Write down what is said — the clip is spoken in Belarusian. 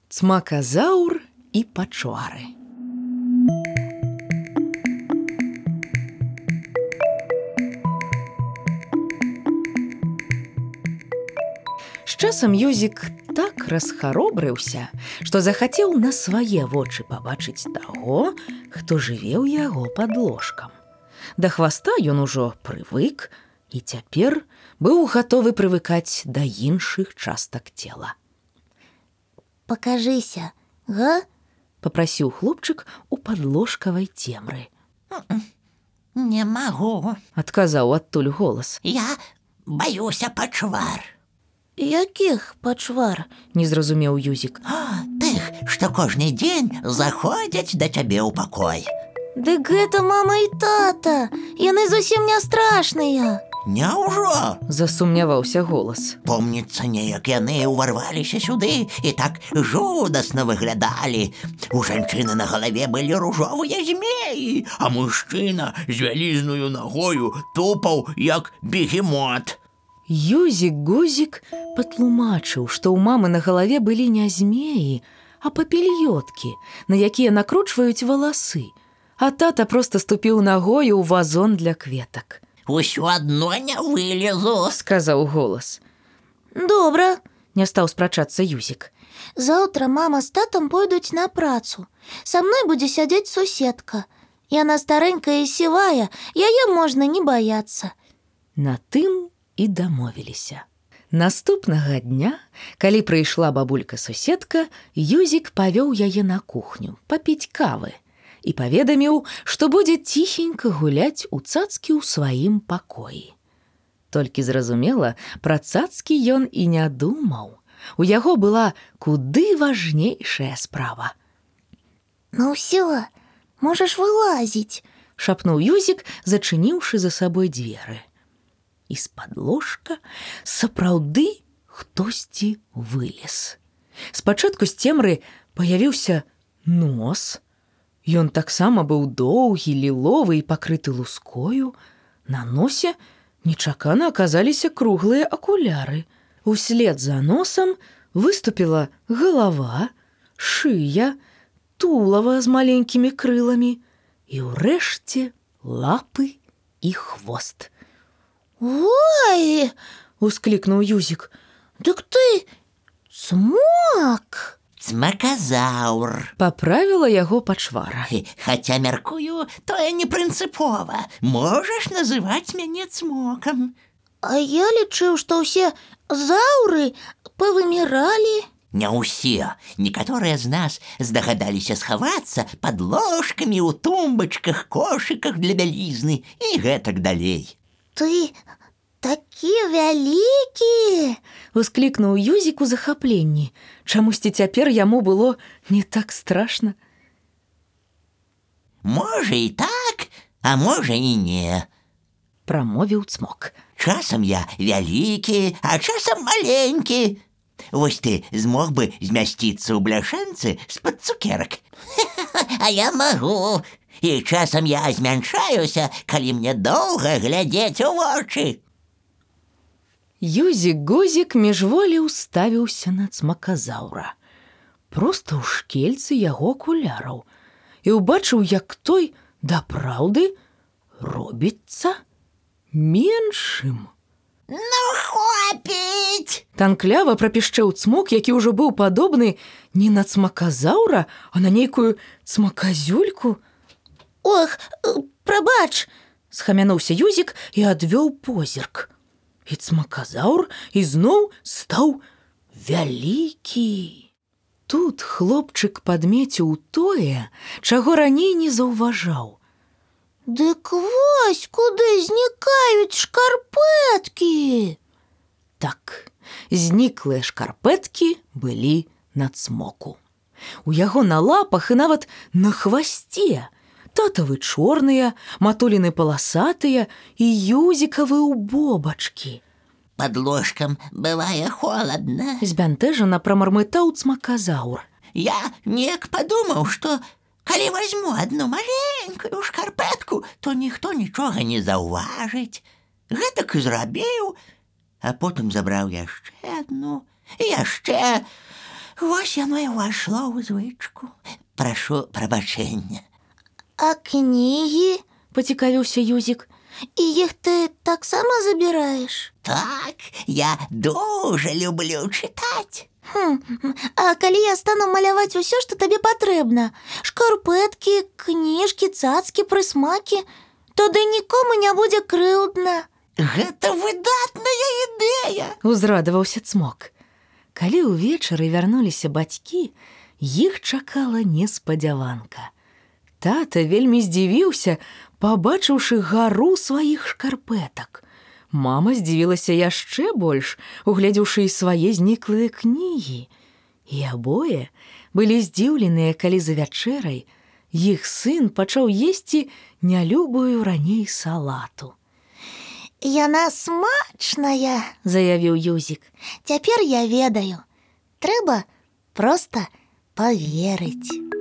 Цмаказаур і пачвары. З часам Юзік так расхаробрыўся, што захацеў на свае вочы пабачыць таго, хто жыве ў яго пад ложкам. Да хваста ён ужо прывык і цяпер быў гатовы прывыкаць да іншых частак цела. «Покажися, га?» — попрасіў хлопчык у падложкавай цемры. «Не магу», — адказаў адтуль голас. «Я баюся пачвар». «Якіх пачвар?» — не зразумеў Юзік. «Тых, што кожны дзень заходзяць да цябе ў пакой». «Дык гэта мама і тата, яны зусім не страшныя». «Няўжо?» — засумняваўся голас. Помніцца, неяк яны ўварваліся сюды і так жудасна выглядалі. У жанчыны на галаве былі ружовыя змеі, а мужчына з вялізною нагою тупаў, як бегемот. Юзік-гузік патлумачыў, што ў мамы на галаве былі не змеі, а папільёткі, на якія накручваюць валасы, а тата проста ступіў нагою ў вазон для кветак. «Усё адно не вылезу», — сказаў голас. «Добра», — не стаў спрачацца Юзік. «Заўтра мама з татам пойдуць на працу. Са мной будзе сядзець суседка. Яна старэнькая і сівая, яе можна не баяцца». На тым і дамовіліся. Наступнага дня, калі прыйшла бабулька-суседка, Юзік павёў яе на кухню папіць кавы і паведаміў, што будзе ціхенька гуляць у цацкі ў сваім пакоі. Толькі зразумела, пра цацкі ён і не думаў. У яго была куды важнейшая справа. «Ну ўсё, можаш вылазіць», — шапнуў Юзік, зачыніўшы за сабой дзверы. І з-пад ложка сапраўды хтосьці вылез. Спачатку з цемры паявіўся нос. Ён таксама быў доўгі, ліловы і пакрыты лускою. На носе нечакана аказаліся круглыя акуляры. Услед за носам выступіла галава, шыя, тулава з маленькімі крыламі і ўрэшце лапы і хвост. «Ой!» — усклікнуў Юзік. «Дык ты цмок!» «Цмаказаур», — паправіла яго пачвара. «Хаця, мяркую, тое не прынцыпова. Можаш называць мяне цмокам». «А я лічыў, што ўсе заўры павыміралі». «Не ўсе. Некаторыя з нас здагадаліся схавацца пад ложкамі ў тумбачках, кошыках для бялізны і гэтак далей». «Ты такі вялікі!» — усклікнуў Юзік у захапленні. Чамусьці цяпер яму было не так страшна. «Можа і так, а можа і не», — прамовіў цмок. «Часам я вялікі, а часам маленькі. Вось ты змог бы змясціцца ў бляшанцы з-пад цукерак. А я магу. І часам я змяншаюся, калі мне доўга глядзець у вочы». Юзік-гузік міжволі ўставіўся на цмаказаўра, проста ў шкельцы яго акуляраў, і ўбачыў, як той, дапраўды, робіцца меншым. «Ну, хопіць!» — танклява прапішчэў цмок, які ўжо быў падобны не на цмаказаўра, а на нейкую цмаказюльку. «Ох, прабач!» — схамянуўся Юзік і адвёў позірк. І цмаказаўр ізноў стаў вялікі. Тут хлопчык падмеціў тое, чаго раней не заўважаў. «Дык вось куды знікаюць шкарпэткі!» Так, зніклыя шкарпэткі былі на цмоку. У яго на лапах і нават на хвасце. Татавы чорныя, матуліны паласатыя і юзікавы ў бобачкі. «Пад ложкам бывае холадна», — збянтэжана прамармытаў цмаказаўр. «Я неяк падумаў, што калі вазьму адну маленькую шкарпэтку, то ніхто нічога не заўважыць. Гэтак і зрабіў, а потым забраў яшчэ адну, і яшчэ. Вось яно і ўвайшло ў звычку. Прашу прабачэння. А кнігі? Пацікавіўся Юзік. І іх ты таксама забіраеш? Так, я дуже люблю чытаць. А калі я стану маляваць усё, што табе патрэбна, шкарпэткі, кніжкі, цацкі, прысмакі, тады нікому не будзе крыўдна. Гэта выдатная ідэя. Узрадаваўся Цмок. Калі ўвечары вярнуліся бацькі, іх чакала неспадзяванка. Тата вельмі здзівіўся, пабачыўшы гару сваіх шкарпэтак. Мама здзівілася яшчэ больш, угледзеўшы і свае зніклыя кнігі. І абое былі здзіўленыя, калі за вячэрай іх сын пачаў есці нялюбую раней салату. Яна смачная, заявіў Юзік. Цяпер я ведаю. Трэба проста паверыць.